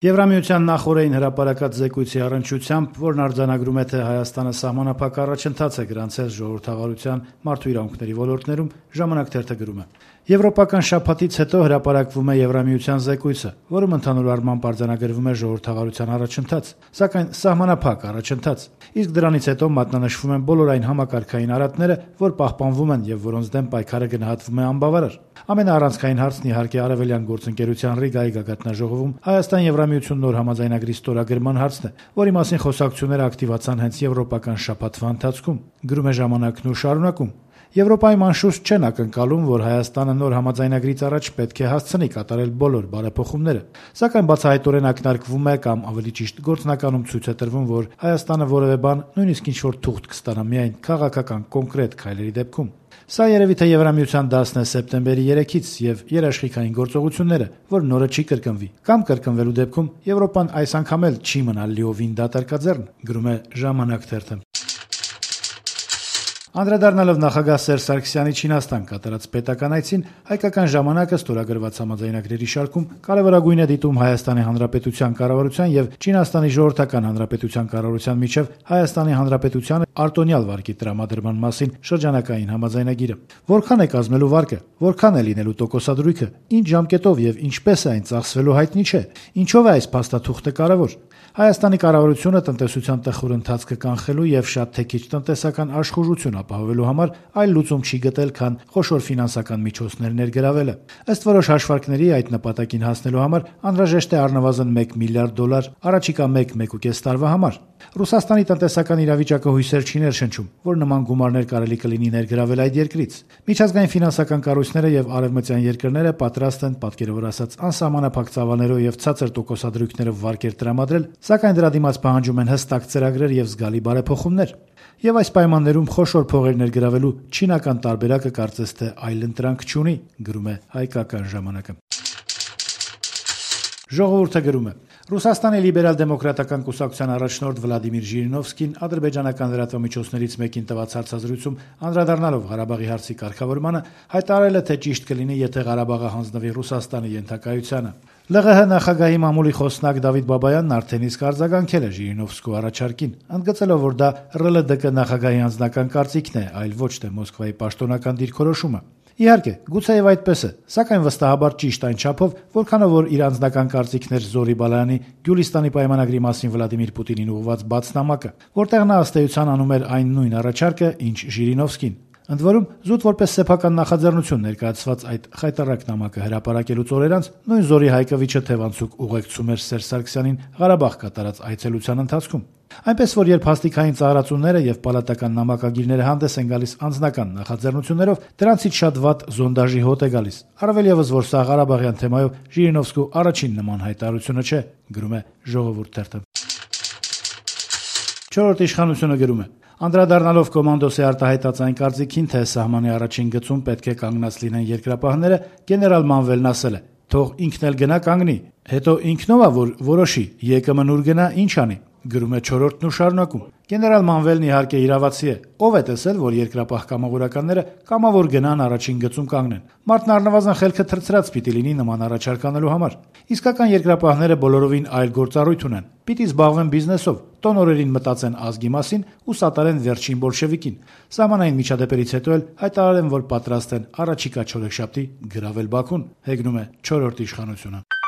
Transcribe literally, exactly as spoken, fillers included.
Եվրամիության նախօրեին հրապարակած զեկույցի առնչությամբ, որն արձանագրում է, թե Հայաստանը սահմանափակ առաջընթաց է գրանցել ժողովրդավարության, մարդու իրավունքների ոլորտներում, «Ժամանակ» թերթը գրում է. Եվրոպական շաբաթից հետո հրապարակվում է Եվրամիության զեկույցը, որում ընդհանուր առմամբ արձանագրվում է ժողովրդավարության առաջընթաց, սակայն սահմանափակ առաջընթաց, իսկ դրանից հետո մատնանշվում են բոլոր այն համակարգային արատները, որ պահպանվում են եւ որոնց դեմ պայքարը գնահատվում է անբավարար։ Ամենաառանցքային հարցն իհարկե Արևելյան գործընկերության Ռիգայի գագաթնաժողովում Հայաստան-Եվրամիություն նոր համաձայնագրի ստորագրման հարցն է, որի մասին խոսակցությունները ակտիվացան հենց եվրոպական շաբաթվա ընթացքում, գրում է «Ժամանակն» ու շարունակում. Եվրոպայում անշուշտ չեն ակնկալում, որ Հայաստանը նոր համաձայնագրից առաջ պետք է հասցնի կատարել բոլոր բարեփոխումները, սակայն բացահայտորեն ակնարկվում է կամ ավելի ճիշտ գործնականում ցույց է տրվում, որ Հայաստանը որևէ բան, նույնիսկ ինչ-որ թուղթ կստանա միայն քաղաքական կոնկրետ քայլերի դեպքում։ Սա երևի թե Եվրամիության դասն է սեպտեմբերի երեքից եւ երաշխիքային գործողությունները, որ նորը չի կրկնվի, կամ կրկնվելու դեպքում Եվրոպան այս անգամ էլ չի մնալ լիովին դատարկաձեռն, գրում է «Ժամանակ» թերթը։ Անդրադառնալով նախագահ Սերժ Սարգսյանի Չինաստան կատարած պետական այցին, Հայկական ժամանակը ստորագրված համաձայնագրերի շարքում կարևորագույն է դիտում Հայաստանի Հանրապետության կառավարության եւ Չինաստանի Ժողովրդական Հանրապետության կառավարության միջև Հայաստանի Հանրապետությանը արտոնյալ վարկի տրամադրման մասին շրջանակային համաձայնագիրը։ Որքան է կազմելու վարկը, որքան է լինելու տոկոսադրույքը, ինչ ժամկետով եւ ինչպես է այն ծախսվելու հայտնի չէ։ Ինչով է այս փաստաթուղթը կարևոր։ Հայաստանի կառավարությունը տնտեսության տխուր ընթացքը կանխելու եւ շատ թե քիչ տնտեսական աշխուժություն ապահովելու համար այլ լուծում չի գտել, քան խոշոր ֆինանսական միջոցներ ներգրավելը։ Ըստ որոշ հաշվարկների, այդ նպատակին հասնելու համար անհրաժեշտ է առնվազն մեկ միլիարդ դոլար առաջիկա մեկ-մեկուկես տարվա համար։ Ռուսաստանի տնտեսական իրավիճակը հույսեր չի ներշնչում, որ նման գումարներ կարելի կլինի ներգրավել այդ երկրից։ Միջազգային ֆինանսական կառույցները եւ արևմտյան երկրները պատրաստ են, պատկերավոր ասած, անսահմանափակ ծավալներով եւ ցածր տոկոսադրույքներով վարկեր տրամադրել, սակայն դրա դիմաց պահանջում են հստակ ծրագրեր եւ զգալի բարեփոխումներ։ Եվ այս պայմաններում խոշոր փողեր ներգրավելու չինական տարբերակը կարծես թե այլընտրանք չունի, գրում է Հայկական ժամանակը։ Ժողովուրդը գրում է. Ռուսաստանի լիբերալ-դեմոկրատական կուսակցության առաջնորդ Վլադիմիր Ժիրինովսկին ադրբեջանական լրատվամիջոցներից մեկին տված հարցազրույցում անդրադառնալով Ղարաբաղի հարցի կարգավորմանը հայտարարել է, թե ճիշտ կլինի, եթե Ղարաբաղը հանձնվի Ռուսաստանի ենթակայությանը։ ԼՂՀ նախագահի մամուլի խոսնակ Դավիթ Բաբայանն արդեն իսկ արձագանքել է Ժիրինովսկու առաջարկին, ընդգծելով, որ դա ՌԼԴԿ նախագահի անձնական կարծիքն է, այլ ոչ թե Մոսկվայի պաշտոնական դիրքորոշումը։ Իհարկե, գուցեև այդպես է, սակայն վստահաբար ճիշտ այն չափով, որքանով որ իր անձնական կարծիքներ Զորի Բալայանի Գյուլիստանի պայմանագրի մասին Վլադիմիր Պուտինին ուղղված բաց նամակը, որտեղ նա ըստ էության aնում էր այն նույն առաջարկը, ինչ Ժիրինովսկին։ Ընդ որում, զուտ որպես սեփական նախաձեռնություն ներկայացված այդ խայտառակ նամակը հրապարակելուց օրեր անց նույն Զորի Հայկովիչը թևանցուկ ուղեկցում էր Սերժ Սարգսյանին Ղարաբաղ կատարած այցելության ընթացքում։ Այնպես որ երբ հաստիկային ծառացումները եւ պալատական նամակագիրները հանդես են գալիս անձնական նախաձեռնություններով, դրանցից շատ վատ զոնդաժի հոտ է գալիս։ Առավել եւս, որ սա Ղարաբաղյան թեմայով Ժիրինովսկու առաջին նման հայտարարությունը չէ, գրում է Ժողովուրդ թերթը։ Չորրորդ իշխանությունը գրում է. Անդրադառնալով կոմանդոսի արտահայտած այն կարծիքին, թե սահմանի առաջին գծում պետք է կանգնած լինեն երկրապահները, գեներալ Մանվելն ասել է. «Թող ինքն էլ գնա կանգնի, հետո ինքնով է որ որոշի, ԵԿՄ-ն ուր գնա, ինչ անի», գրում է Չորրորդն ու շարունակում. Գեներալ Մանվելն իհարկե իրավացի է, ով է տեսել, որ երկրապահ կամավորականները կամավոր գնան առաջին գծում կանգնեն։ Մարդն առնվազն խելքը թրծրած պիտի լինի նման առաջարկ անելու համար։ Իսկական երկրապահները բոլորովին այլ գործառույթ ունեն։ Պիտի զբաղվեն բիզնեսով, տոնորերին մտածեն ազգի մասին ու սատարեն վերջին բոլշևիկին։ Սահմանային միջադեպերից հետո էլ հայտարարեն, որ պատրաստ են առաջիկա չորեքշաբթի գրավել Բաքուն, հեգնում է Չորրորդ իշխանությունը։